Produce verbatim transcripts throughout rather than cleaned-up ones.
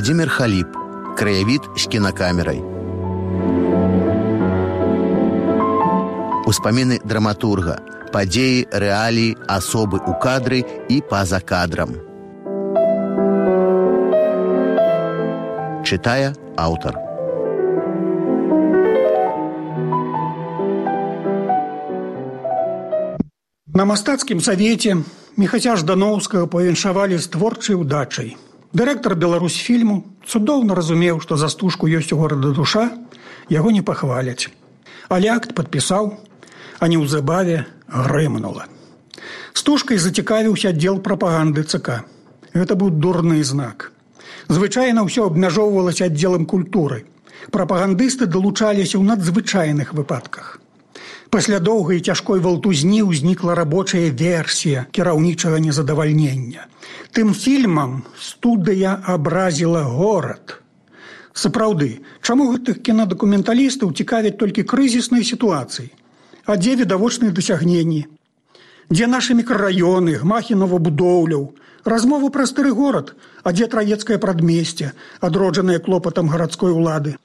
Уладзімір Халіп. Краявід з кінакамерай. Успаміны драматурга. Падзеі, рэаліі, асобы ў кадры і па-за кадрам. Чытае аўтар. На мастацкім савеце Міхася Ждановскага павіншавалі з творчай удачай. Дырэктар Беларусьфільму цудоўна разумеў, што за стужку ёсць у горада душа, яго не пахваляць. Але акт падпісаў, а неўзабаве грымнула. Стужкай зацікавіўся аддзел прапаганды ЦК. Гэта быў дурны знак. Звычайна ўсё абмяжоўвалася аддзелам культуры. Прапагандысты далучаліся ў надзвычайных выпадках. Пасля доўгай і цяжкой валтузні ўзнікла рабочая версія кіраўнічага незадавальнення. Тым фільмам студыя абразіла горад. Сапраўды, чаму гэтых кінадакументалістаў цікавяць толькі крызісныя сітуацыі? А дзе відавочныя дасягненні? Дзе нашы мікрараёны, гмахі новабудоўляў? Размовы пра стары горад, а дзе траецкае прадмесце, адроджанае клопатам гарадской улады?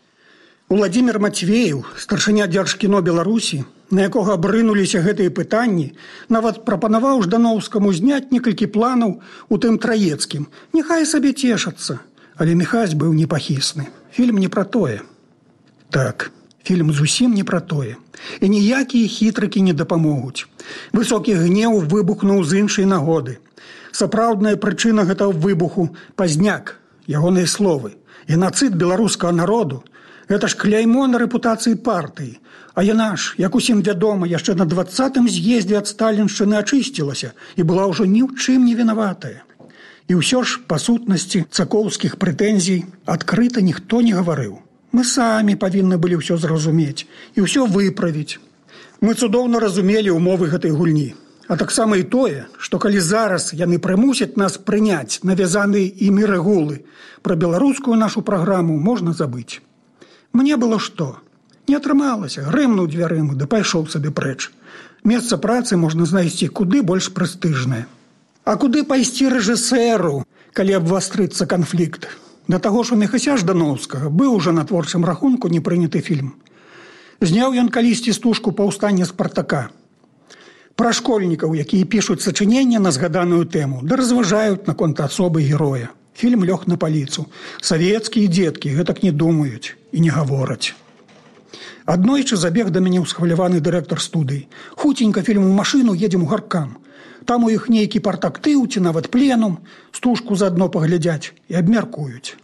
Уладзімір Мацвееў, старшыня Дзяржкіно Беларусі, на якога абрынуліся гэтыя пытанні, нават прапанаваў Ждановскаму зняць некалькі планаў у тым траецкім. Няхай сабе цешацца. Але Міхась быў непахісны. Фільм не пра тое. Так, фільм зусім не пра тое. І ніякія хітрыкі не дапамогуць. Высокі гнеў выбухнуў з іншай нагоды. Сапраўдная прычына гэтага выбуху – пазняк, ягоныя словы. Геноцид беларускага народу – гэта ж кляймо на рэпутацыі партыі. А яна ж, як усім вядома, яшчэ на дваццатым з'ездзе ад сталіншчыны ачысцілася і была ўжо ні ў чым не вінаватая. І ўсё ж, па сутнасці цакоўскіх прэтэнзій адкрыта ніхто не гаварыў. Мы самі павінны былі ўсё зразумець і ўсё выправіць. Мы цудоўна разумелі ўмовы гэтай гульні. А таксама і тое, што калі зараз яны прымусяць нас прыняць навязаныя імі рэгулы, пра беларускую нашу праграму можна забыць. Мне было што? Не атрымалася, грымнуў дзвярыма, ды пайшоў сабе прэч. Месца працы можна знайсці куды больш прэстыжнае. А куды пайсці рэжысэру, калі абвастрыцца канфлікт? Да таго ж у Міхася Ждановскага быў ужо на творчым рахунку не прыняты фільм. Зняў ён калісьці стужку «Паўстанне Спартака». Пра школьнікаў, якія пішуць сачыненне на згаданую тэму, да разважаюць наконт асобы героя. Фільм лёг на паліцу. Савецкія дзеткі гэтак не думаюць і не гавораць. Аднойчы забег да мяне ўсхваляваны дырэктар студыі. Хуценька фільм у машыну, едзем у гаркам. Там у іх нейкі партактыў ці нават пленум, стужку заадно паглядзяць і абмяркуюць.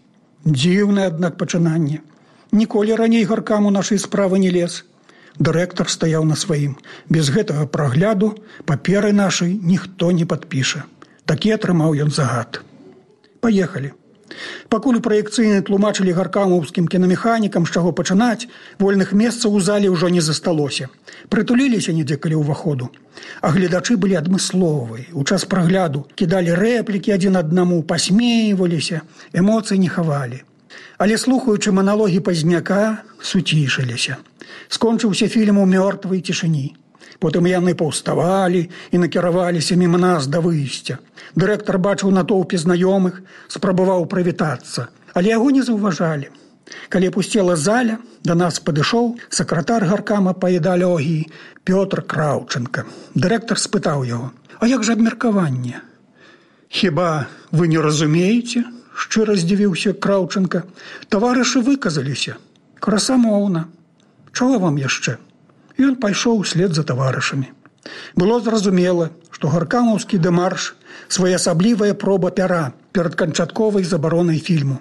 Дзіўнае, аднак, пачынанне. Ніколі раней гаркам у нашай справы не лез. Дырэктар стаяў на сваім. Без гэтага прагляду паперы нашай ніхто не падпіша. Такі атрымаў ён загад. Паехалі. Пакуль у праекцыйнай тлумачылі гаркамаўскім кінамеханікам, з чаго пачынаць, вольных месцаў у зале ўжо не засталося. Прытуліліся недзе каля ўваходу. А гледачы былі адмысловыя. У час прагляду кідалі рэплікі адзін аднаму, пасмейваліся, эмоцый не хавалі. Але слухаючы маналогі пазняка, суцішыліся. Скончыўся фільм у мёртвай цішыні. Потым яны паўставалі і накіраваліся міма нас да выйсця. Дырэктар бачыў натоўпе знаёмых, спрабаваў прывітацца, але яго не заўважалі. Калі пусцела заля, да нас падышоў сакратар гаркама па ідэалогіі Пётр Краўченка. Дырэктар спытаў яго: «А як жа абмеркаванне?» «Хіба вы не разумееце?» – шчыра здзівіўся Краўченка. «Таварышы выказаліся. Красамоўна. Чаго вам яшчэ?» Ён пайшоў услед за таварышамі. Было зразумела, што гаркамаўскі дэмарш – своеасаблівая проба пяра перад канчатковай забаронай фільму.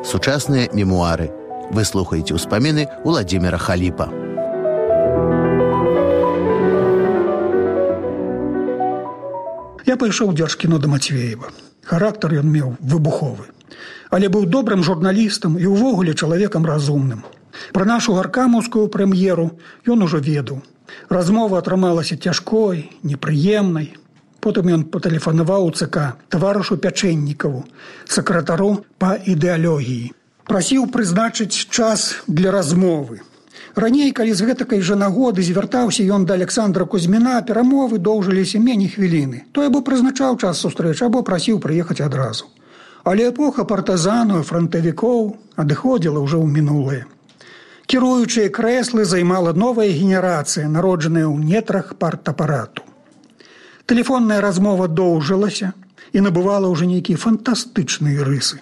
Сучасныя мемуары. Вы слухаеце ўспаміны Уладзіміра Халіпа. Я пайшоў у Дзяржкіно да Мацвеева. Характар ён меў выбуховы. Але быў добрым журналістам і ўвогуле чалавекам разумным. Пра нашу гаркамаўскую прэм'еру ён ужо ведаў. Размова атрымалася цяжкой, непрыемнай. Потым ён патэлефанаваў у ЦК таварышу Пячэннікаву, сакратару па ідэалогіі. Прасіў прызначыць час для размовы. Раней, калі з гэтакай жа нагоды звяртаўся ён да Александра Кузьміна, перамовы доўжыліся меней хвіліны. Той або прызначаў час сустрэчы, або прасіў прыехаць адразу. Але эпоха партызанаў і франтавікоў адыходзіла ўжо ў мінулае. Кіруючыя крэслы займала новая генерацыя, народжаная ў нетрах партапарату. Тэлефонная размова доўжылася і набывала ўжо нейкія фантастычныя рысы.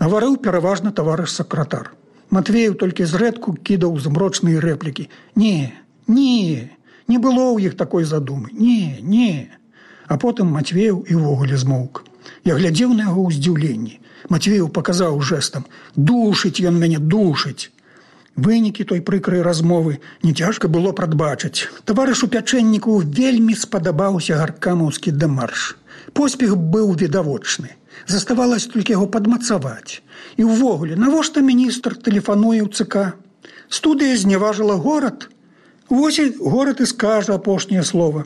Гаварыў пераважна таварыш сакратар. Матвеев толькі зрэдку кідаў змрочныя рэплікі. Не, не, не было ў іх такой задумы. Не, не. А потым Матвеев і ўвогуле змоўк. Я глядзеў на яго ў здзіўленні. Матвеев паказаў жэстам: «Душыць ён мяне, душыць». Вынікі той прыкрай размовы не цяжка было прадбачыць. Таварышу Пячэнніку вельмі спадабаўся гаркамаўскі дэмарш. Поспех быў відавочны. Заставалася толькі яго падмацаваць. І ўвогуле, навошта міністр тэлефануе ў ЦК? Студыя зневажыла горад? Вось і горад і скажа апошняе слова.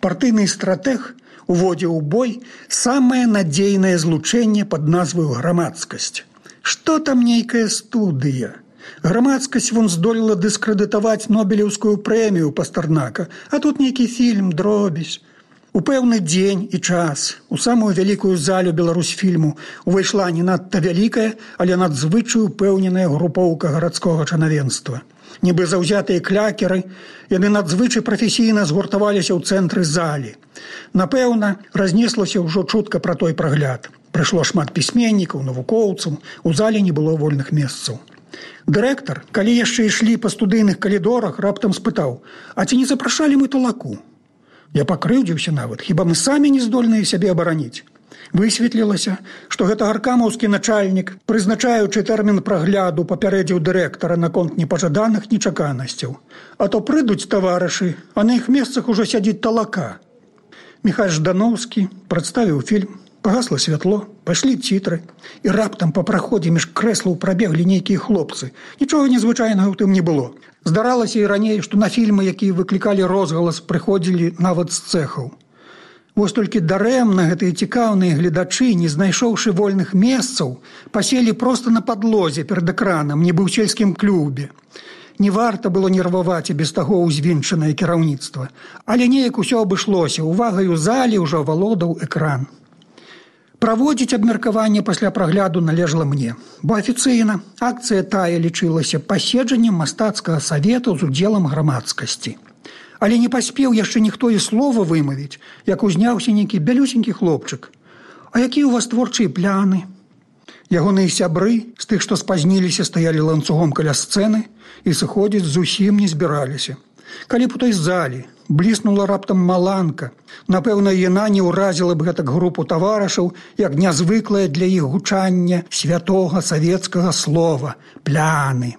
Партыйны стратэг уводзіў у бой самае надзейнае злучэнне пад назваю грамадскасць. Што там нейкая студыя? Грамадскасць вон здолела дыскрэдытаваць Нобелеўскую прэмію Пастарнака, а тут нейкі фільм, дробязь. У пэўны дзень і час у самую вялікую залю Беларусьфільму увайшла не надта вялікая, але надзвычай упэўненая групоўка гарадскога чанавенства. Нібы заўзятыя клякеры, яны надзвычай прафесійна згуртаваліся ў цэнтры залі. Напэўна, разнеслася ўжо чутка пра той прагляд. Прыйшло шмат пісьменнікаў, навукоўцаў, у зале не было вольных месцаў. Дырэктар, калі яшчэ ішлі па студыйных калідорах, раптам спытаў: «А ці не запрашалі мы талаку?» Я пакрыўдзіўся нават, хіба мы самі не здольныя сябе абараніць. Высветлілася, што гэта гаркамаўскі начальнік, прызначаючы тэрмін прагляду, папярэдзіў дырэктара наконт непажаданых нечаканасцяў. А то прыйдуць таварышы, а на іх месцах ужо сядзіць талака. Міхась Ждановскі прадставіў фільм, пагасла святло, пайшлі цітры, і раптам па праходзе між крэслаў прабеглі нейкія хлопцы. Нічога незвычайнага ў тым не было. Здаралася і раней, што на фільмы, якія выклікалі розгалас, прыходзілі нават з цэхаў. Вось толькі дарэмна гэтыя цікаўныя гледачы, не знайшоўшы вольных месцаў, паселі проста на падлозе перад экранам, нібы ў сельскім клубе. Не варта было нерваваць і без таго ўзвінчанае кіраўніцтва. Але неяк усё абышлося, увагаю залі ўжо авалодаў экран. Праводзіць абмеркаванне пасля прагляду належала мне, бо афіцыйна акцыя тая лічылася паседжаннем мастацкага савету з удзелам грамадскасці. Але не паспеў яшчэ ніхто і слова вымавіць, як узняўся нейкі бялюсенькі хлопчык. «А якія ў вас творчыя пляны?» Ягоныя сябры з тых, што спазніліся, стаялі ланцугом каля сцэны і сыходзіць зусім не збіраліся. Калі б у той залі бліснула раптам маланка, напэўна, яна не ўразіла б гэтак групу таварышаў, як нязвыклае для іх гучання святога савецкага слова «пляны».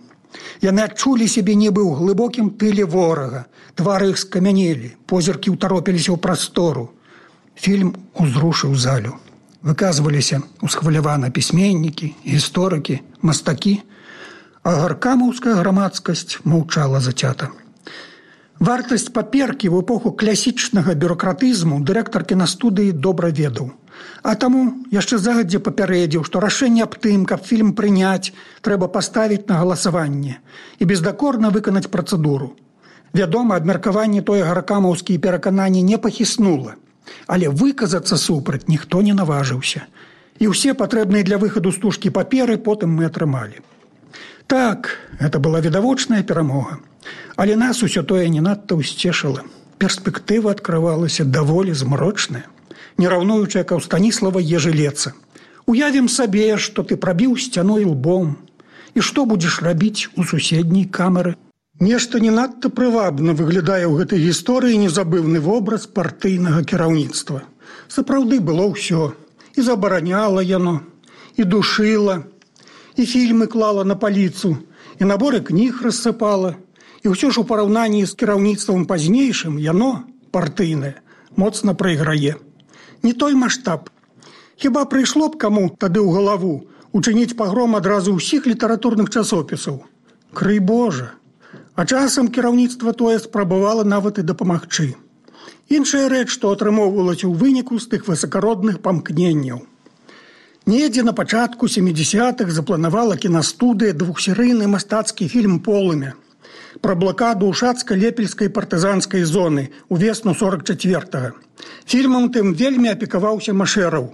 Яны адчулі сябе нібы ў глыбокім тыле ворага, твары іх скамянелі, позіркі ўтаропіліся ў прастору. Фільм узрушыў залю. Выказваліся усхвалявана пісьменнікі, гісторыкі, мастакі, а гаркамаўская грамадскасць маўчала зацята. Вартасць паперкі ў эпоху класічнага бюракратызму дырэктар кінастудыі добра ведаў. А таму яшчэ загадзя папярэдзіў, што рашэнне аб тым, каб фільм прыняць, трэба паставіць на галасаванне і бездакорна выканаць працэдуру. Вядома, абмеркаванне тое гаркамаўскія перакананні не пахіснула, але выказацца супраць ніхто не наважыўся. І ўсе патрэбныя для выхаду стужкі паперы потым мы атрымалі. Так, гэта была відавочная перамога. Але нас усё тое не надта ўсцешыла. Перспектыва адкрывалася даволі змрочная, не раўнуючая Каўстаніслава Ежелеца. Уявім сабе, што ты прабіў сцяной лбом, і што будзеш рабіць у суседняй камеры. Нешта не надта прывабна выглядае ў гэтай гісторыі незабыўны вобраз партыйнага кіраўніцтва. Сапраўды было ўсё. І забараняла яно, і душыла, і фільмы клала на паліцу, і наборы кніг рассыпала. І ўсё ж у параўнанні з кіраўніцтвам пазнейшым яно, партыйнае, моцна прайграе. Не той маштаб. Хіба прыйшло б каму тады ў галаву учыніць пагром адразу ўсіх літаратурных часопісаў? Крый Божа! А часам кіраўніцтва тое спрабавала нават і дапамагчы. Іншая рэч, што атрымоўвалася ў выніку з тых высакародных памкненняў. Недзе на пачатку сямідзясятых запланавала кінастудыя двухсерыйны мастацкі фільм «Полымя». пра блакаду Ушацка-Лепельскай партызанскай зоны ўвесну сорок чацвёртага. Фільмам тым вельмі апекаваўся Машэраў.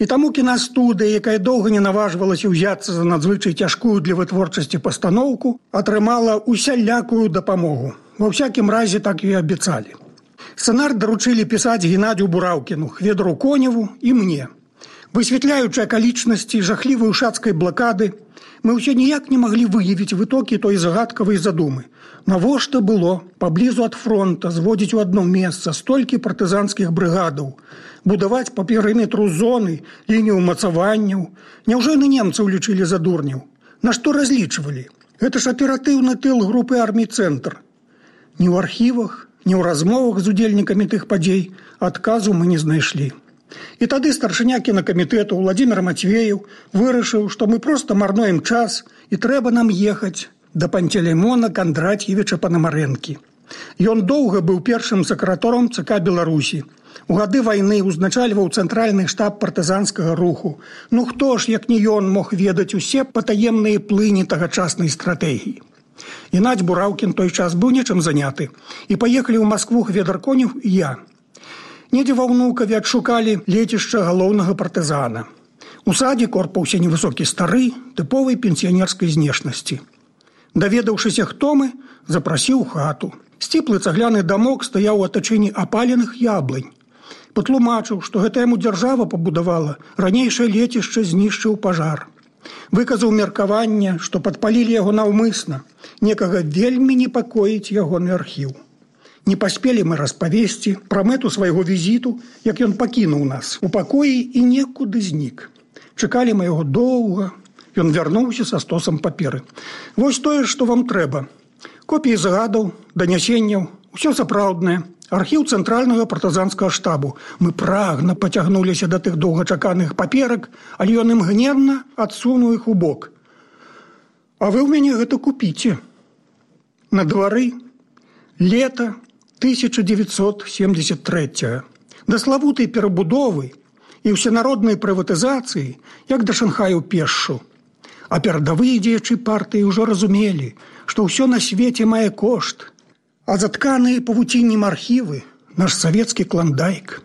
І таму кінастудыя, якая доўга не наважвалася ўзяцца за надзвычай цяжкую для вытворчасці пастаноўку, атрымала усялякую дапамогу. Ва ўсякім разе так і абяцалі. Сцэнар даручылі пісаць Геннадзю Бураўкіну, Хведру Коневу і мне. Высвятляючы акалічнасці жахлівай ушацкай блакады, мы ўсё ніяк не маглі выявіць вытокі той загадкавай задумы. Навошта было паблізу ад фронта зводзіць у адно месца столькі партызанскіх брыгадаў, будаваць па перыметру зоны лінію ўмацаванняў? Няўжо яны немцаў лічылі за дурняў? На што разлічвалі? Гэта ж аператыўны тыл групы армій «Цэнтр». Ні ў архівах, ні ў размовах з удзельнікамі тых падзей адказу мы не знайшлі. І тады старшыня кінакамітэту Владзімір Мацвеев вырашыў, што мы проста марнуем час і трэба нам ехаць да Пантелеймона Кондратьевича Панамарэнкі. Ён доўга быў першым сакратаром ЦК Беларусі. У гады вайны узначальваў цэнтральны штаб партызанскага руху. Ну хто ж, як не ён, мог ведаць усе патаемныя плыні тагачаснай стратэгіі? Геннадзь Бураўкін той час быў нечым заняты. І паехалі ў Маскву Хведр Конев і я. Недзе ва Ўнукаве адшукалі лецішча галоўнага партызана. У садзе корпаўся невысокі стары, тыповай пенсіянерскай знешнасці. Даведаўшыся, хто мы, запрасіў хату. Сціплы цагляны дамок стаяў у атачэнні апаленых яблынь. Патлумачыў, што гэта яму дзяржава пабудавала, ранейшае лецішча знішчыў пажар. Выказаў меркаванне, што падпалілі яго наўмысна. Некага вельмі непакоіць ягоны архіў. Не паспелі мы распавесці пра мэту свайго візіту, як ён пакінуў нас у пакоі і некуды знік. Чакалі мы яго доўга. Ён вярнуўся са стосам паперы. Вось тое, што вам трэба. Копіі загадаў, данясенняў, усё сапраўднае. Архіў цэнтральнага партызанскага штабу. Мы прагна пацягнуліся да тых доўгачаканых паперак, але ён імгненна адсунуў іх у бок. А вы ў мяне гэта купіце. На двары лета тысяча девятьсот семьдесят третьего. Да славутай перабудовы і ўсенароднай прыватызацыі, як да Шанхаю пешшу. А перадавыя дзеячы партыі ўжо разумелі, што ўсё на свеце мае кошт, а затканыя павуціннем архівы наш савецкі клондайк.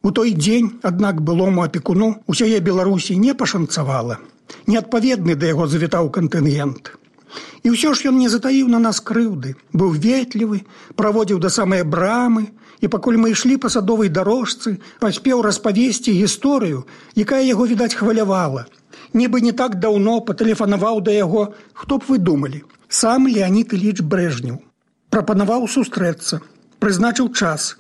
У той дзень, аднак, былому апекуну усяе Беларусі не пашанцавала. Неадпаведны да яго завітаў кантынгент. І ўсё ж ён не затаіў на нас крыўды, быў ветлівы, праводзіў да самай брамы, і пакуль мы ішлі па садовай дарожцы, паспеў распавесці гісторыю, якая яго, відаць, хвалявала. Нібы не так даўно патэлефанаваў да яго, хто б вы думалі, сам Леонід Іліч Брэжнеў. Прапанаваў сустрэцца, прызначыў час.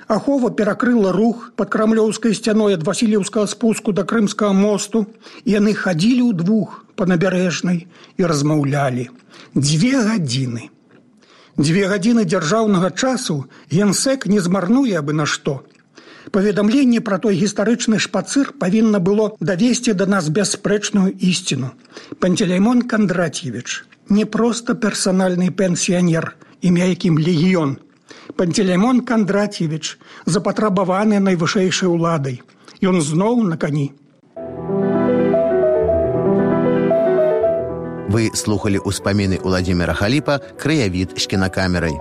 Ахова перакрыла рух пад крамлёўскай сцяной ад Васілеўскага спуску да Крымскага мосту, і яны хадзілі ўдвух па набярэжнай і размаўлялі. Дзве гадзіны. Дзве гадзіны дзяржаўнага часу генсек не змарнуе абы на што. Паведамленне пра той гістарычны шпацыр павінна было давесці да нас бясспрэчную ісціну. Пантелеймон Кондратьевич не проста персанальны пенсіянер, імя якім легіён. Пантелеймон Кондратьевич запатрабаваны найвышэйшай уладай. Ён зноў на кані. Вы слухали ўспаміны Уладзіміра Халіпа «Краявід з кінакамерай».